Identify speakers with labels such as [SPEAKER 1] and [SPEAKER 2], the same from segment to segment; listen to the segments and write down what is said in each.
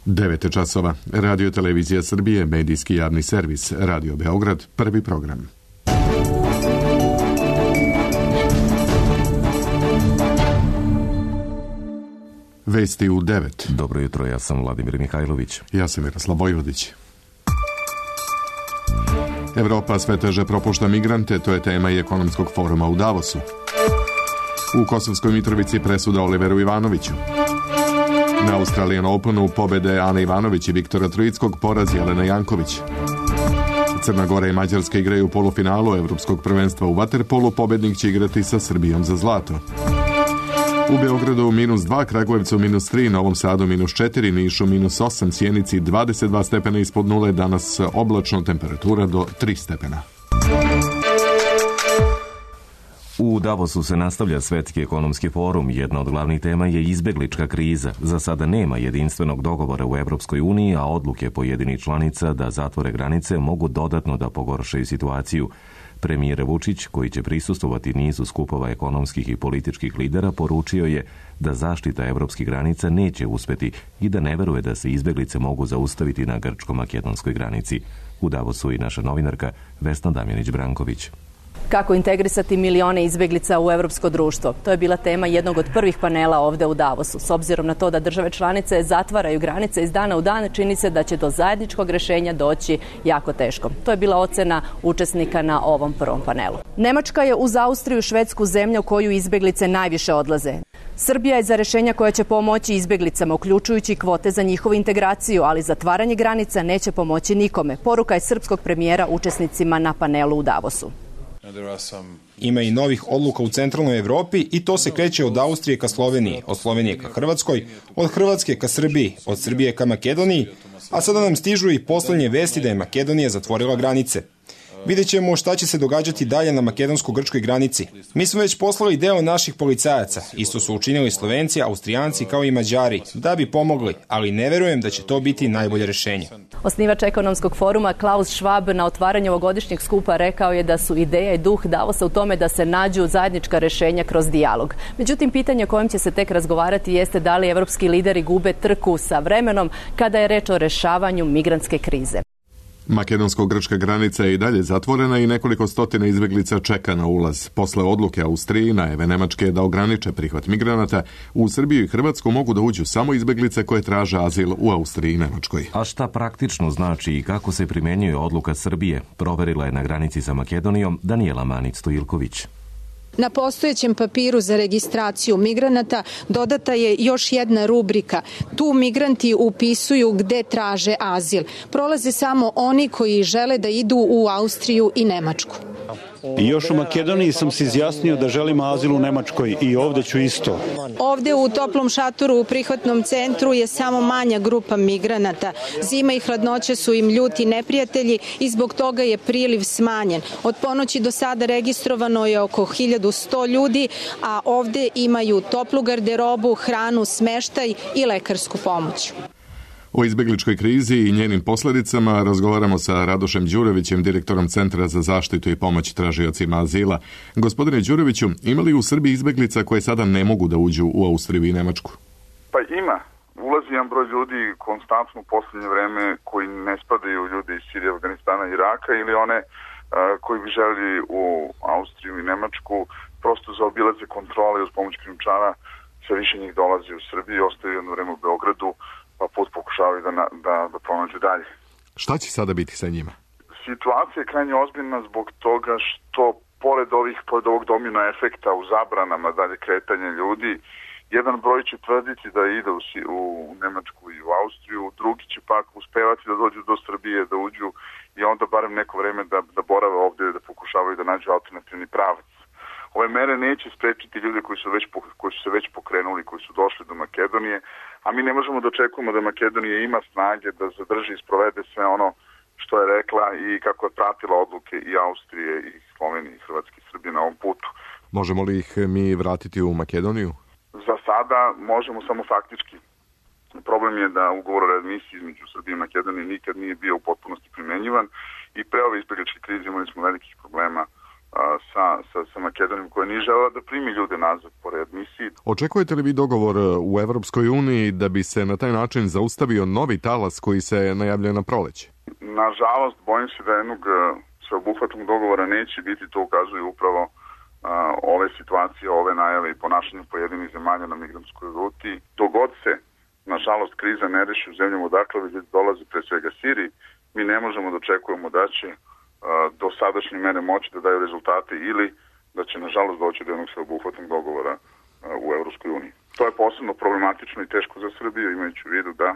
[SPEAKER 1] 9 časova. Radio Televizija Srbije, medijski javni servis, Radio Beograd, prvi program. Vesti u 9.
[SPEAKER 2] Dobro jutro, ja sam Vladimir Mihajlović.
[SPEAKER 1] Ja sam Miroslav Vojvodić. Evropa sve teže propušta migrante, to je tema i ekonomskog foruma u Davosu. U Kosovskoj Mitrovici presuda Oliveru Ivanoviću. Na Australian Openu pobede Ane Ivanović i Viktora Trojickog, poraz Jelena Janković. Crna Gora i Mađarska igraju u polufinalu Evropskog prvenstva u vaterpolu, pobednik će igrati sa Srbijom za zlato. U Beogradu -2, Kragujevcu -3, Novom Sadu -4, Nišu -8, Sjenici 22 stepena ispod nule, danas oblačno, temperatura do 3 stepena.
[SPEAKER 2] U Davosu se nastavlja Svetski ekonomski forum. Jedna od glavnih tema je izbeglička kriza. Za sada nema jedinstvenog dogovora u Evropskoj uniji, a odluke pojedinih članica da zatvore granice mogu dodatno da pogoršaju situaciju. Premijer Vučić, koji će prisustvovati nizu skupova ekonomskih i političkih lidera, poručio je da zaštita evropskih granica neće uspeti i da ne veruje da se izbeglice mogu zaustaviti na grčko-makedonskoj granici. U Davosu i naša novinarka Vesna Damjanić-Branković.
[SPEAKER 3] Kako integrisati milione izbeglica u evropsko društvo? To je bila tema jednog od prvih panela ovde u Davosu. S obzirom na to da države članice zatvaraju granice iz dana u dan, čini se da će do zajedničkog rešenja doći jako teško. To je bila ocena učesnika na ovom prvom panelu. Nemačka je uz Austriju, Švedsku zemlju u koju izbeglice najviše odlaze. Srbija je za rešenja koja će pomoći izbeglicama, uključujući kvote za njihovu integraciju, ali zatvaranje granica neće pomoći nikome. Poruka je srpskog premijera učesnicima na panelu u Davosu.
[SPEAKER 4] Ima i novih odluka u centralnoj Evropi i to se kreće od Austrije ka Sloveniji, od Slovenije ka Hrvatskoj, od Hrvatske ka Srbiji, od Srbije ka Makedoniji, a sada nam stižu i poslednje vesti da je Makedonija zatvorila granice. Vidjet ćemo šta će se događati dalje na makedonsko-grčkoj granici. Mi smo već poslali deo naših policajaca, isto su učinili Slovenci, Austrijanci kao i Mađari, da bi pomogli, ali ne verujem da će to biti najbolje rešenje.
[SPEAKER 3] Osnivač ekonomskog foruma Klaus Schwab na otvaranju ovogodišnjeg skupa rekao je da su ideja i duh Davosa u tome da se nađu zajednička rešenja kroz dijalog. Međutim, pitanje o kojem će se tek razgovarati jeste da li evropski lideri gube trku sa vremenom kada je reč o rešavanju migrantske krize.
[SPEAKER 1] Makedonsko-grčka granica je i dalje zatvorena i nekoliko stotina izbeglica čeka na ulaz. Posle odluke Austrije i najave Nemačke da ograniče prihvat migranata, u Srbiju i Hrvatsku mogu da uđu samo izbeglice koje traže azil u Austriji i Nemačkoj.
[SPEAKER 2] A šta praktično znači i kako se primenjuje odluka Srbije, proverila je na granici sa Makedonijom Danijela Manić-Stojilković.
[SPEAKER 5] Na postojećem papiru za registraciju migranata dodata je još jedna rubrika. Tu migranti upisuju gde traže azil. Prolaze samo oni koji žele da idu u Austriju i Nemačku.
[SPEAKER 6] I još u Makedoniji sam se izjasnio da želim azil u Nemačkoj i ovde ću isto.
[SPEAKER 5] Ovde u toplom šatoru u prihvatnom centru je samo manja grupa migranata. Zima i hladnoća su im ljuti neprijatelji i zbog toga je priliv smanjen. Od ponoći do sada registrovano je oko 1100 ljudi, a ovde imaju toplu garderobu, hranu, smeštaj i lekarsku pomoć.
[SPEAKER 1] O izbegličkoj krizi i njenim posledicama razgovaramo sa Radošem Đurovićem, direktorom Centra za zaštitu i pomoć tražiocima azila. Gospodine Đuroviću, ima li u Srbiji izbeglica koje sada ne mogu da uđu u Austriju i Nemačku?
[SPEAKER 7] Pa ima. Ulazi jedan broj ljudi konstantno u poslednje vreme koji ne spadaju ljudi iz Sirije, Afganistana i Iraka ili one koji bi želi u Austriju i Nemačku prosto zaobilaze kontrole i uz pomoć krijumčara sve više njih dolazi u Srbiju i ostaju jedno vreme u Beogradu, pa put pokušavaju da pronađu dalje.
[SPEAKER 1] Šta će sada biti sa njima?
[SPEAKER 7] Situacija je krajnje ozbiljna zbog toga što pored ovog domino efekta u zabranama dalje kretanja ljudi, jedan broj će tvrditi da ide u Nemačku i u Austriju, drugi će pak uspevati da dođu do Srbije, da uđu i onda barem neko vreme da borave ovde, da pokušavaju da nađu alternativni pravac. Ove mere neće sprečiti ljude koji su se već pokrenuli, koji su došli do Makedonije, a mi ne možemo da očekujemo da Makedonija ima snage da zadrži i sprovede sve ono što je rekla i kako je pratila odluke i Austrije i Slovenije i Hrvatske i Srbije na ovom putu.
[SPEAKER 1] Možemo li ih mi vratiti u Makedoniju?
[SPEAKER 7] Za sada možemo samo faktički. Problem je da ugovor o readmisiji između Srbije i Makedonije nikad nije bio u potpunosti primenjivan i pre ove izbegličke krize imali smo velikih problema sa Makedonijom koja nije želela da primi ljude nazad po readmisiji.
[SPEAKER 1] Očekujete li vi dogovor u Evropskoj uniji da bi se na taj način zaustavio novi talas koji se najavljuje na proleće?
[SPEAKER 7] Nažalost, bojim se da jednog sveobuhvatnog dogovora neće biti, to ukazuju upravo ove situacije, ove najave i ponašanje pojedinih zemalja na migrantskoj ruti. Dogod se, nažalost, kriza ne reši u zemljama odakle već dolazi pre svega Siriji, mi ne možemo da očekujemo da će do sadašnje mere moći da daju rezultate ili da će, nažalost, doći do jednog sveobuhvatnog dogovora u Evropskoj uniji. To je posebno problematično i teško za Srbiju, imajući u vidu da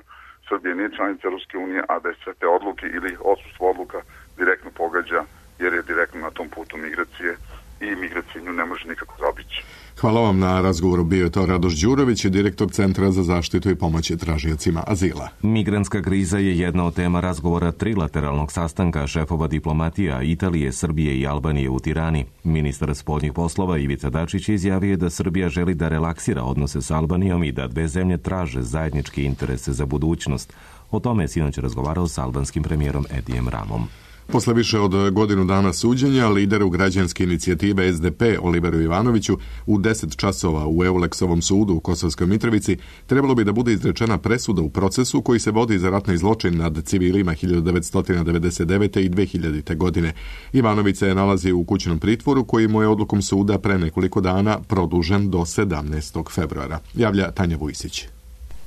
[SPEAKER 7] Srbija nije članica Evropske unije, a da je sve te odluke ili odsustvo odluka direktno pogađa, jer je direktno na tom putu migracije i migracije nju ne može nikako zaobići.
[SPEAKER 1] Hvala vam na razgovoru. Bio je to Radoš Đurović, direktor Centra za zaštitu i pomoć tražiocima azila.
[SPEAKER 2] Migrantska kriza je jedna od tema razgovora trilateralnog sastanka šefova diplomatija Italije, Srbije i Albanije u Tirani. Ministar spoljnih poslova Ivica Dačić izjavio da Srbija želi da relaksira odnose s Albanijom i da dve zemlje traže zajedničke interese za budućnost. O tome je sinoć razgovarao s albanskim premijerom Edijem Ramom.
[SPEAKER 1] Posle više od godinu dana suđenja, lideru građanske inicijative SDP Oliveru Ivanoviću u 10 časova u Euleksovom sudu u Kosovskoj Mitrovici trebalo bi da bude izrečena presuda u procesu koji se vodi za ratni zločin nad civilima 1999. i 2000. godine. Ivanović se nalazi u kućnom pritvoru koji mu je odlukom suda pre nekoliko dana produžen do 17. februara. Javlja Tanja Vujsić.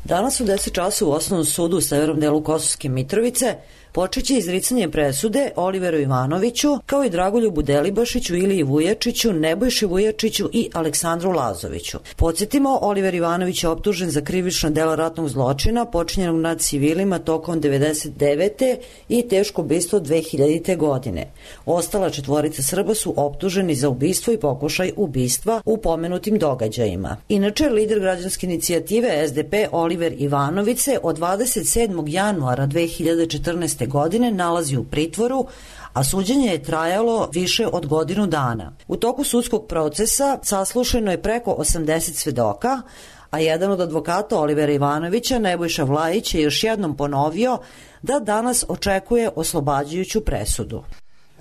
[SPEAKER 8] Danas u 10 časa u osnovnom sudu u severnom delu Kosovske Mitrovice počeće izricanje presude Oliveru Ivanoviću, kao i Dragoljubu Delibašiću, Iliji Vujačiću, Nebojši Vujačiću i Aleksandru Lazoviću. Podsjetimo, Oliver Ivanović je optužen za krivično delo ratnog zločina počinjenog nad civilima tokom 1999. i teško ubistvo 2000. godine. Ostala četvorica Srba su optuženi za ubistvo i pokušaj ubistva u pomenutim događajima. Inače, lider građanske inicijative SDP Oliver Ivanović se od 27. januara 2014. godine nalazi u pritvoru, a suđenje je trajalo više od godinu dana. U toku sudskog procesa saslušano je preko 80 svedoka, a jedan od advokata Olivera Ivanovića, Nebojša Vlajić, je još jednom ponovio da danas očekuje oslobađajuću presudu.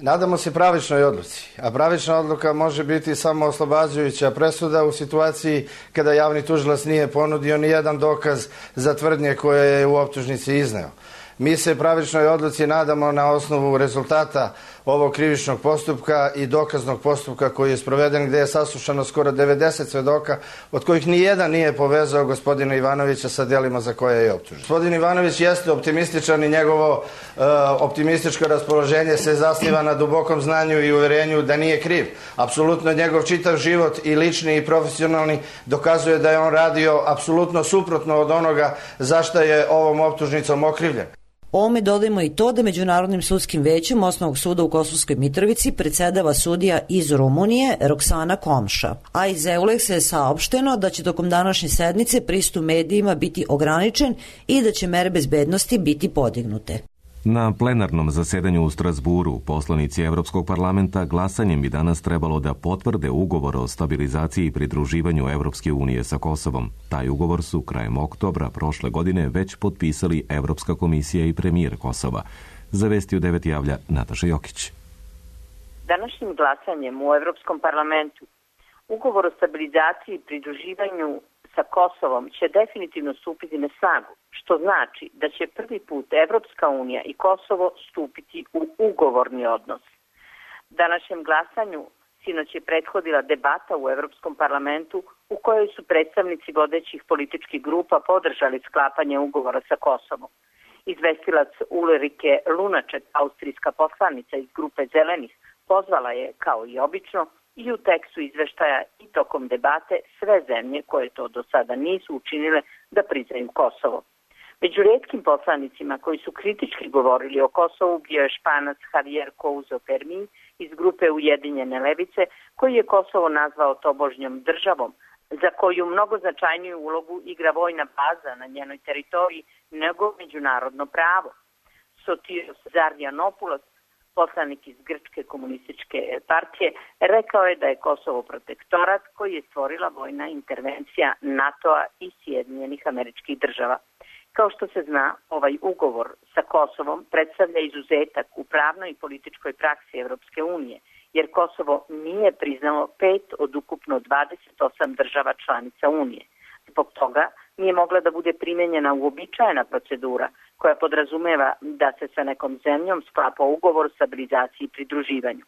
[SPEAKER 9] Nadamo se pravičnoj odluci, a pravična odluka može biti samo oslobađajuća presuda u situaciji kada javni tužilac nije ponudio ni jedan dokaz za tvrdnje koje je u optužnici izneo. Mi se pravičnoj odluci nadamo na osnovu rezultata ovog krivičnog postupka i dokaznog postupka koji je sproveden, gde je saslušano skoro 90 svedoka, od kojih ni jedan nije povezao gospodina Ivanovića sa delima za koje je optužen. Gospodin Ivanović jeste optimističan i njegovo optimističko raspoloženje se zasniva na dubokom znanju i uverenju da nije kriv. Apsolutno njegov čitav život i lični i profesionalni dokazuje da je on radio apsolutno suprotno od onoga za šta je ovom optužnicom okrivljen.
[SPEAKER 8] Ovome dodajemo i to da Međunarodnim sudskim većem Osnovnog suda u Kosovskoj Mitrovici predsedava sudija iz Rumunije Roksana Komša. A iz Euleksa je saopšteno da će tokom današnje sednice pristup medijima biti ograničen i da će mere bezbednosti biti podignute.
[SPEAKER 2] Na plenarnom zasedanju u Strasburu poslanici Evropskog parlamenta glasanjem bi danas trebalo da potvrde ugovor o stabilizaciji i pridruživanju Evropske unije sa Kosovom. Taj ugovor su krajem oktobra prošle godine već potpisali Evropska komisija i premijer Kosova. Za Vesti u 9 javlja Nataša Jokić.
[SPEAKER 10] Današnjim glasanjem u Evropskom parlamentu ugovor o stabilizaciji i pridruživanju sa Kosovom će definitivno stupiti na snagu, što znači da će prvi put Evropska unija i Kosovo stupiti u ugovorni odnos. Današnjem glasanju sinoć je prethodila debata u Evropskom parlamentu u kojoj su predstavnici vodećih političkih grupa podržali sklapanje ugovora sa Kosovom. Izvestilac Ulrike Lunaček, austrijska poslanica iz grupe Zelenih, pozvala je, kao i obično, i u tekstu izveštaja i tokom debate sve zemlje koje to do sada nisu učinile da priznaju Kosovo. Među retkim poslanicima koji su kritički govorili o Kosovu bio je Španac Javier Couso Fermin iz grupe Ujedinjene levice, koji je Kosovo nazvao tobožnjom državom, za koju mnogo značajniju ulogu igra vojna baza na njenoj teritoriji nego međunarodno pravo. Sotiros Zardianopoulos, poslanik iz Grčke komunističke partije, rekao je da je Kosovo protektorat koji je stvorila vojna intervencija NATO-a i Sjedinjenih Američkih Država. Kao što se zna, ovaj ugovor sa Kosovom predstavlja izuzetak u pravnoj i političkoj praksi Evropske unije jer Kosovo nije priznalo 5 od ukupno 28 država članica Unije. Zbog toga nije mogla da bude primenjena uobičajena procedura koja podrazumeva da se sa nekom zemljom sklapa ugovor o stabilizaciji i pridruživanju.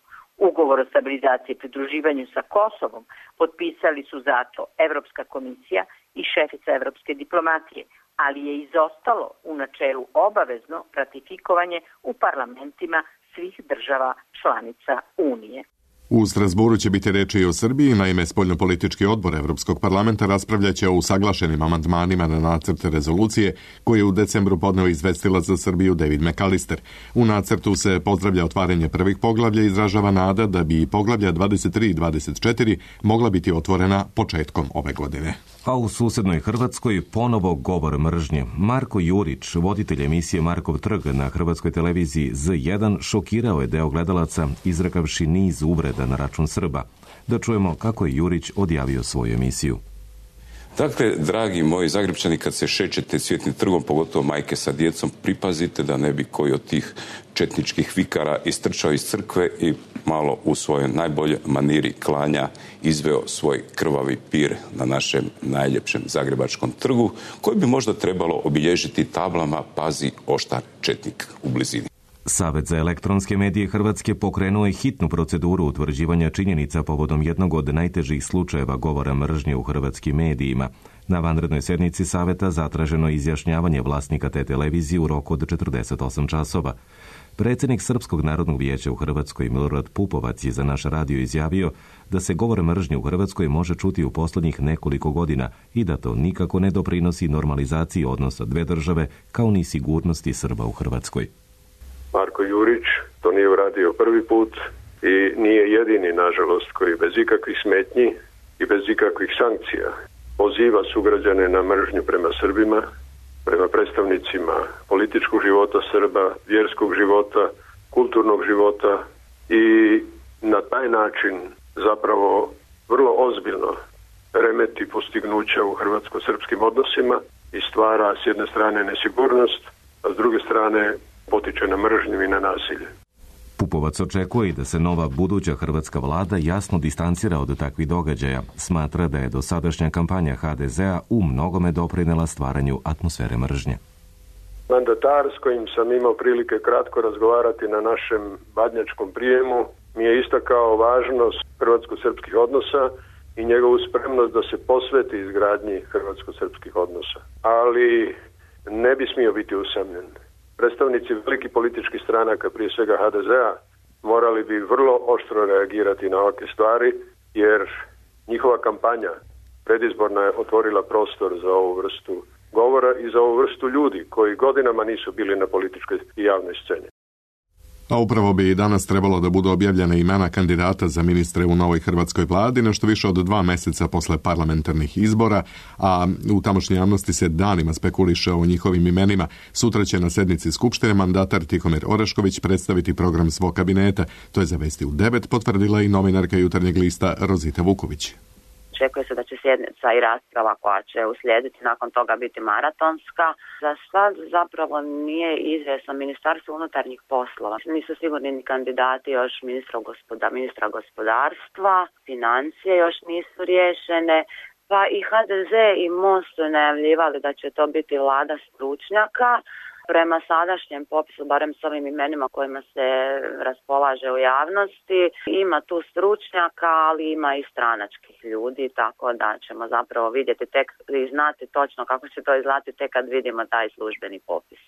[SPEAKER 10] Ugovor o stabilizaciji i pridruživanju sa Kosovom potpisali su zato Evropska komisija i šefica evropske diplomatije, ali je izostalo u načelu obavezno ratifikovanje u parlamentima svih država članica Unije.
[SPEAKER 1] U Strasburu će biti reči i o Srbiji, naime spoljnopolitički odbor Evropskog parlamenta raspravljaće o usaglašenim amandmanima na nacrt rezolucije koje je u decembru podneo izvestilac za Srbiju David McAllister. U nacrtu se pozdravlja otvaranje prvih poglavlja i izražava nada da bi poglavlja 23 i 24 mogla biti otvorena početkom ove godine.
[SPEAKER 2] A u susednoj Hrvatskoj ponovo govor mržnje. Marko Jurić, voditelj emisije Markov trg na hrvatskoj televiziji Z1, šokirao je deo gledalaca izrekavši niz uvreda na račun Srba. Da čujemo kako je Jurić odjavio svoju emisiju.
[SPEAKER 11] Dakle, dragi moji Zagrepčani, kad se šećete Cvjetnim trgom, pogotovo majke sa djecom, pripazite da ne bi koji od tih četničkih vikara istrčao iz crkve i malo u svojoj najbolje maniri klanja izveo svoj krvavi pir na našem najljepšem zagrebačkom trgu, koji bi možda trebalo obilježiti tablama "Pazi oštar četnik" u blizini.
[SPEAKER 2] Savet za elektronske medije Hrvatske pokrenuo je hitnu proceduru utvrđivanja činjenica povodom jednog od najtežih slučajeva govora mržnje u hrvatskim medijima. Na vanrednoj sjednici Saveta zatraženo izjašnjavanje vlasnika te televizije u roku od 48 časova. Predsjednik Srpskog narodnog vijeća u Hrvatskoj Milorad Pupovac je za naš radio izjavio da se govor mržnje u Hrvatskoj može čuti u posljednjih nekoliko godina i da to nikako ne doprinosi normalizaciji odnosa dve države kao ni sigurnosti Srba u Hrvatskoj.
[SPEAKER 12] Marko Jurić to nije uradio prvi put i nije jedini, nažalost, koji bez ikakvih smetnji i bez ikakvih sankcija poziva sugrađane na mržnju prema Srbima, prema predstavnicima političkog života Srba, vjerskog života, kulturnog života i na taj način zapravo vrlo ozbiljno remeti postignuća u hrvatsko-srpskim odnosima i stvara s jedne strane nesigurnost, a s druge strane potiče na mržnju i na nasilje.
[SPEAKER 2] Pupovac očekuje da se nova buduća hrvatska vlada jasno distancira od takvih događaja. Smatra da je dosadašnja kampanja HDZ-a u mnogome doprinela stvaranju atmosfere mržnje.
[SPEAKER 12] Mandatar s kojim sam imao prilike kratko razgovarati na našem badnjačkom prijemu mi je istakao važnost hrvatsko-srpskih odnosa i njegovu spremnost da se posveti izgradnji hrvatsko-srpskih odnosa. Ali ne bi smio biti usamljen. Predstavnici velikih političkih stranaka, prije svega HDZ-a, morali bi vrlo oštro reagirati na ovakve stvari, jer njihova kampanja predizborna je otvorila prostor za ovu vrstu govora i za ovu vrstu ljudi koji godinama nisu bili na političkoj i javnoj sceni.
[SPEAKER 1] A upravo bi i danas trebalo da budu objavljene imena kandidata za ministre u novoj hrvatskoj vladi, nešto više od 2 meseca posle parlamentarnih izbora, a u tamošnjoj javnosti se danima spekuliše o njihovim imenima. Sutra će na sednici Skupštine mandatar Tihomir Orešković predstaviti program svog kabineta. To je za Vesti u 9 potvrdila i novinarka Jutarnjeg lista Rozita Vuković.
[SPEAKER 13] Očekuje se da će sjednica i rasprava koja će uslijediti nakon toga biti maratonska. Za sad zapravo nije izvjesno Ministarstvo unutarnjih poslova. Nisu sigurni ni kandidati još ministra gospodarstva, financije još nisu riješene. Pa i HDZ i MOST su najavljivali da će to biti vlada stručnjaka. Prema sadašnjem popisu, barem s ovim imenima kojima se raspolaže u javnosti, ima tu stručnjaka, ali ima i stranačkih ljudi, tako da ćemo zapravo vidjeti tek i znati točno kako će to izgledati tek kad vidimo taj službeni popis.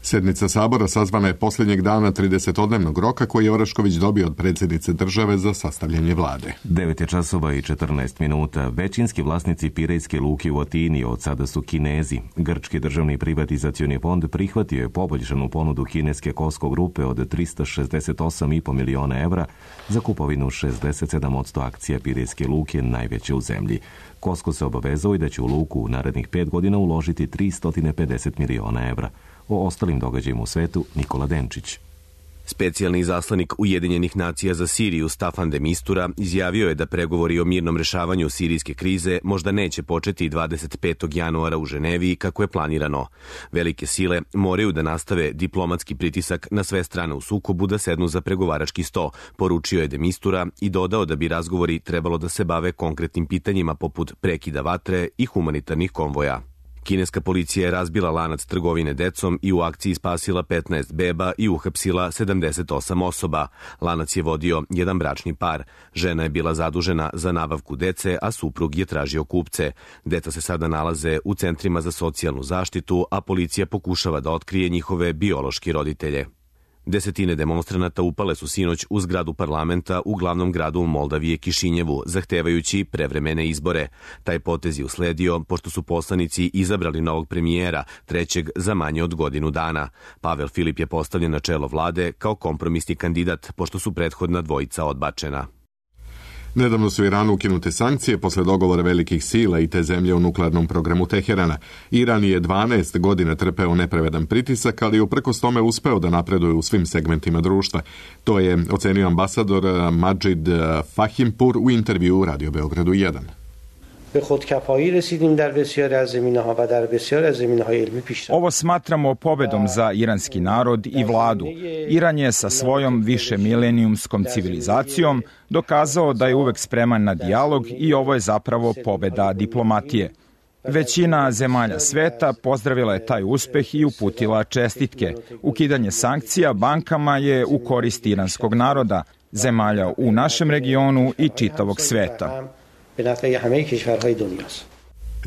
[SPEAKER 1] Sjednica Sabora sazvana je posljednjeg dana 30-dnevnog roka koji je Orešković dobio od predsjednice države za sastavljanje vlade.
[SPEAKER 2] 9:14. Većinski vlasnici Pirejske luke u Atini od sada su Kinezi. Grčki državni privatizacioni fond prihvatio je poboljšanu ponudu kineske Cosco grupe od 368,5 miliona evra za kupovinu 67% akcija Pirejske luke, najveće u zemlji. Cosco se obavezao i da će u luku u narednih 5 godina uložiti 350 miliona evra. O ostalim događajima u svetu Nikola Denčić.
[SPEAKER 14] Specijalni izaslanik Ujedinjenih nacija za Siriju Staffan de Mistura izjavio je da pregovori o mirnom rešavanju sirijske krize možda neće početi 25. januara u Ženevi kako je planirano. Velike sile moraju da nastave diplomatski pritisak na sve strane u sukobu da sednu za pregovarački sto, poručio je de Mistura i dodao da bi razgovori trebalo da se bave konkretnim pitanjima poput prekida vatre i humanitarnih konvoja. Kineska policija je razbila lanac trgovine decom i u akciji spasila 15 beba i uhapsila 78 osoba. Lanac je vodio jedan bračni par. Žena je bila zadužena za nabavku dece, a suprug je tražio kupce. Deca se sada nalaze u centrima za socijalnu zaštitu, a policija pokušava da otkrije njihove biološke roditelje. Desetine demonstranata upale su sinoć u zgradu parlamenta u glavnom gradu Moldavije Kišinjevu, zahtevajući prevremene izbore. Taj potez je usledio pošto su poslanici izabrali novog premijera, trećeg za manje od godinu dana. Pavel Filip je postavljen na čelo vlade kao kompromisni kandidat, pošto su prethodna dvojica odbačena.
[SPEAKER 1] Nedavno su Iranu ukinute sankcije posle dogovora velikih sila i te zemlje u nuklearnom programu Teherana. Iran je 12 godina trpeo nepravedan pritisak, ali uprkos tome uspeo da napreduje u svim segmentima društva. To je ocenio ambasador Majid Fahimpur u intervju u Radio Beogradu 1.
[SPEAKER 15] Ovo smatramo pobedom za iranski narod i vladu. Iran je sa svojom višemilenijumskom civilizacijom dokazao da je uvek spreman na dijalog i ovo je zapravo pobeda diplomatije. Većina zemalja sveta pozdravila je taj uspeh i uputila čestitke. Ukidanje sankcija bankama je u korist iranskog naroda, zemalja u našem regionu i čitavog sveta.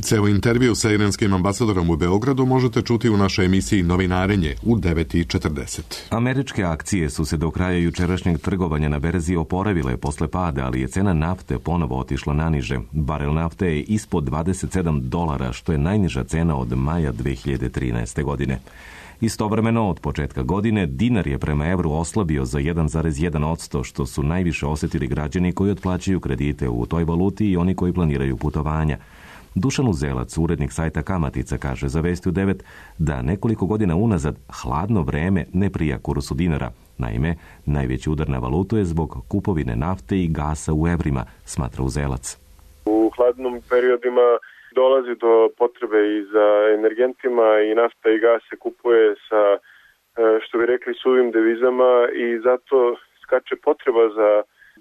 [SPEAKER 1] Ceo intervju sa iranskim ambasadorom u Beogradu možete čuti u našoj emisiji Novinarenje u 9:40.
[SPEAKER 2] Američke akcije su se do kraja jučerašnjeg trgovanja na berzi oporavile posle pada, ali je cena nafte ponovo otišla naniže. Barel nafte je ispod $27, što je najniža cena od maja 2013. godine. Istovremeno, od početka godine, dinar je prema evru oslabio za 1,1%, što su najviše osetili građani koji otplaćaju kredite u toj valuti i oni koji planiraju putovanja. Dušan Uzelac, urednik sajta Kamatica, kaže za Vesti u 9 da nekoliko godina unazad hladno vreme ne prija kursu dinara. Naime, najveći udar na valutu je zbog kupovine nafte i gasa u evrima, smatra Uzelac.
[SPEAKER 12] U hladnom periodima dolazi do potrebe i za energentima i nafta i gas se kupuje sa, što bi rekli, suvim devizama i zato skače potreba za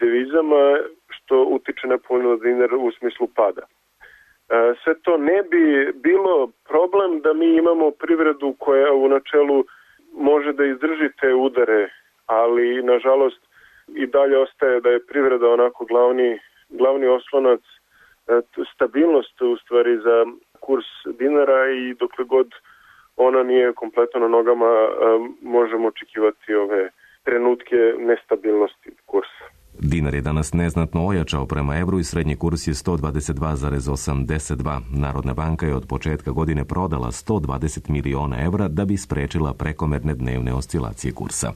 [SPEAKER 12] devizama što utiče nepovoljno na dinar u smislu pada. Sve to ne bi bilo problem da mi imamo privredu koja u načelu može da izdrži te udare, ali nažalost i dalje ostaje da je privreda onako glavni oslonac, stabilnost u stvari za kurs dinara i dokle god ona nije kompletno na nogama možemo očekivati ove trenutke nestabilnosti kursa.
[SPEAKER 2] Dinar je danas neznatno ojačao prema evru i srednji kurs je 122,82. Narodna banka je od početka godine prodala 120 miliona evra da bi sprečila prekomerne dnevne oscilacije kursa.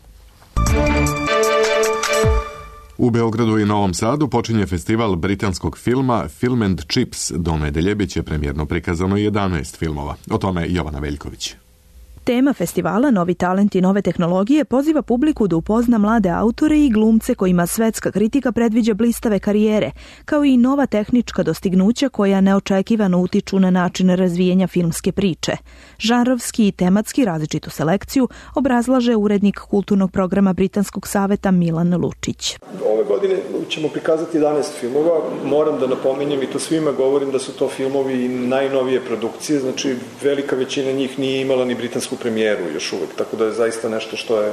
[SPEAKER 1] U Beogradu i Novom Sadu počinje festival britanskog filma Film and Chips. Do nedelje biće premijerno prikazano 11 filmova. O tome Jovana Veljković.
[SPEAKER 16] Tema festivala Novi talent i nove tehnologije poziva publiku da upozna mlade autore i glumce kojima svetska kritika predviđa blistave karijere, kao i nova tehnička dostignuća koja neočekivano utiču na način razvijenja filmske priče. Žanrovski i tematski različitu selekciju obrazlaže urednik kulturnog programa Britanskog saveta Milan Lučić.
[SPEAKER 17] Ove godine ćemo prikazati 11 filmova. Moram da napominjem i to svima govorim da su to filmovi najnovije produkcije, znači velika većina njih nije imala ni britansku premijeru još uvek, tako da je zaista nešto što je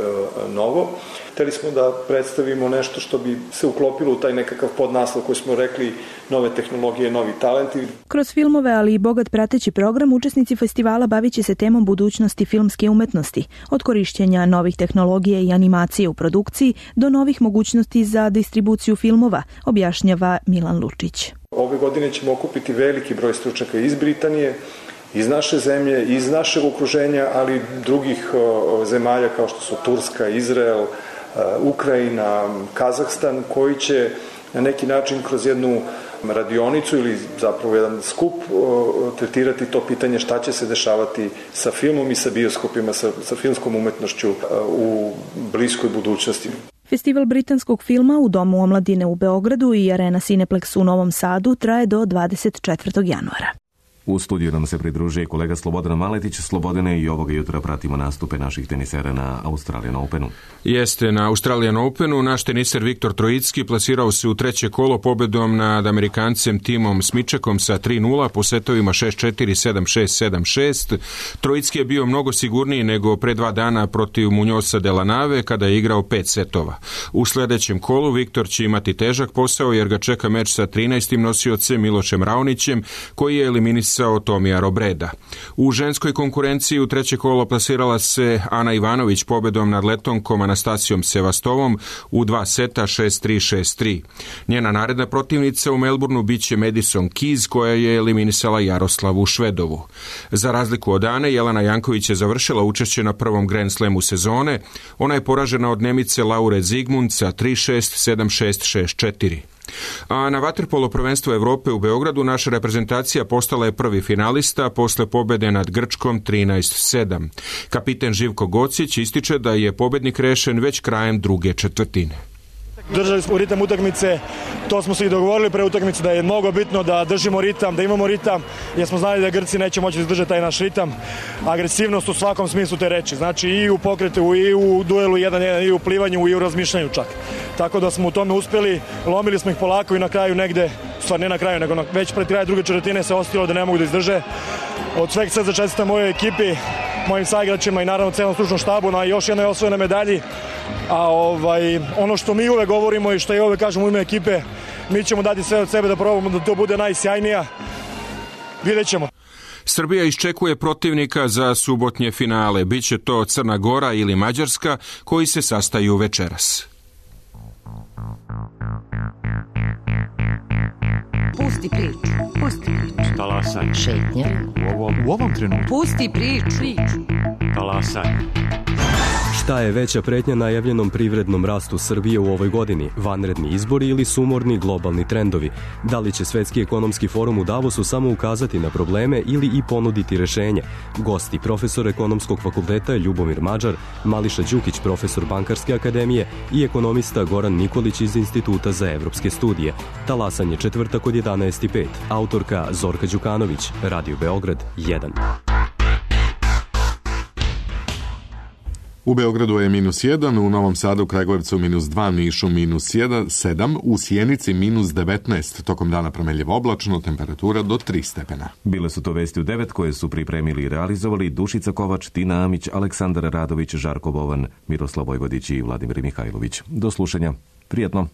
[SPEAKER 17] novo. Hteli smo da predstavimo nešto što bi se uklopilo u taj nekakav podnaslov koji smo rekli nove tehnologije, novi talenti.
[SPEAKER 16] Kroz filmove, ali i bogat prateći program, učesnici festivala bavit će se temom budućnosti filmske umetnosti, od korišćenja novih tehnologija i animacije u produkciji do novih mogućnosti za distribuciju filmova, objašnjava Milan Lučić.
[SPEAKER 17] Ove godine ćemo okupiti veliki broj stručnjaka iz Britanije, iz naše zemlje, iz našeg okruženja, ali drugih zemalja kao što su Turska, Izrael, Ukrajina, Kazahstan, koji će na neki način kroz jednu radionicu ili zapravo jedan skup tretirati to pitanje šta će se dešavati sa filmom i sa bioskopima, sa filmskom umetnošću u bliskoj budućnosti.
[SPEAKER 16] Festival britanskog filma u Domu omladine u Beogradu i Arena Cineplex u Novom Sadu traje do 24. januara.
[SPEAKER 2] U studiju nam se pridružuje kolega Slobodan Maletić. Slobodane, i ovoga jutra pratimo nastupe naših tenisera na Australian Openu.
[SPEAKER 18] Jeste, na Australian Openu naš teniser Viktor Trojicki plasirao se u treće kolo pobedom nad Amerikancem Timom Smičekom sa 3-0 po setovima 6-4, 7-6, 7-6. Trojicki je bio mnogo sigurniji nego pre 2 dana protiv Munjosa de la Nave kada je igrao 5 setova. U sledećem kolu Viktor će imati težak posao jer ga čeka meč sa 13. nosiocem Milošem Raonićem koji je eliminisao Tomija Robreda. U ženskoj konkurenciji u treće kolo plasirala se Ana Ivanović pobedom nad Letonkom Anastasijom Sevastovom u 2 seta 6-3, 6-3. Njena naredna protivnica u Melbourneu biće Madison Keys koja je eliminisala Jaroslavu Švedovu. Za razliku od Ane, Jelena Janković je završila učešće na prvom Grand Slamu sezone. Ona je poražena od Nemice Laure Zigmund sa 3-6, 7-6, 6-4. A na vaterpolo prvenstvu Evrope u Beogradu naša reprezentacija postala je prvi finalista posle pobede nad Grčkom 13-7. Kapiten Živko Gocić ističe da je pobednik rešen već krajem druge četvrtine.
[SPEAKER 19] Držali smo ritam utakmice, to smo se i dogovorili pre utakmice da je mnogo bitno da držimo ritam, da imamo ritam, jer smo znali da Grci neće moći izdržati taj naš ritam. Agresivnost u svakom smislu te reči, znači i u pokretu, i u duelu 1-1, i u plivanju, i u razmišljanju čak. Tako da smo u tome uspeli, lomili smo ih polako i na kraju negde, stvar ne na kraju, nego već pred kraj druge četvrtine se ostalo da ne mogu da izdrže. Od sveg sve začestitam mojoj ekipi, mojim saigračima i naravno celom stručnom štabu na još jednoj osvojenoj medalji. A ono što mi uvek govorimo i što ja uvek kažem u ime ekipe, mi ćemo dati sve od sebe da probamo da to bude najsjajnija. Vidjet ćemo.
[SPEAKER 18] Srbija iščekuje protivnika za subotnje finale. Biće to Crna Gora ili Mađarska koji se sastaju večeras.
[SPEAKER 20] Pusti priču. Pusti priču.
[SPEAKER 21] Talasaj.
[SPEAKER 20] Šetnja.
[SPEAKER 21] U ovom trenutku.
[SPEAKER 20] Pusti priču.
[SPEAKER 21] Talasaj.
[SPEAKER 22] Šta je veća pretnja najavljenom privrednom rastu Srbije u ovoj godini? Vanredni izbori ili sumorni globalni trendovi? Da li će Svetski ekonomski forum u Davosu samo ukazati na probleme ili i ponuditi rešenje? Gosti profesor Ekonomskog fakulteta Ljubomir Mađar, Mališa Đukić, profesor Bankarske akademije i ekonomista Goran Nikolić iz Instituta za evropske studije. Talasanje četvrtak od 11:05. Autorka Zorka Đukanović, Radio Beograd 1.
[SPEAKER 1] U Beogradu je -1, u Novom Sadu, Kragujevcu -2, Nišu -7, u Sjenici -19, tokom dana promenljivo oblačno, temperatura do 3 stepena.
[SPEAKER 2] Bile su to vesti u 9 koje su pripremili i realizovali Dušica Kovač, Tina Amić, Aleksandar Radović, Žarko Bovan, Miroslav Vojvodić i Vladimir Mihajlović. Do slušanja. Prijetno.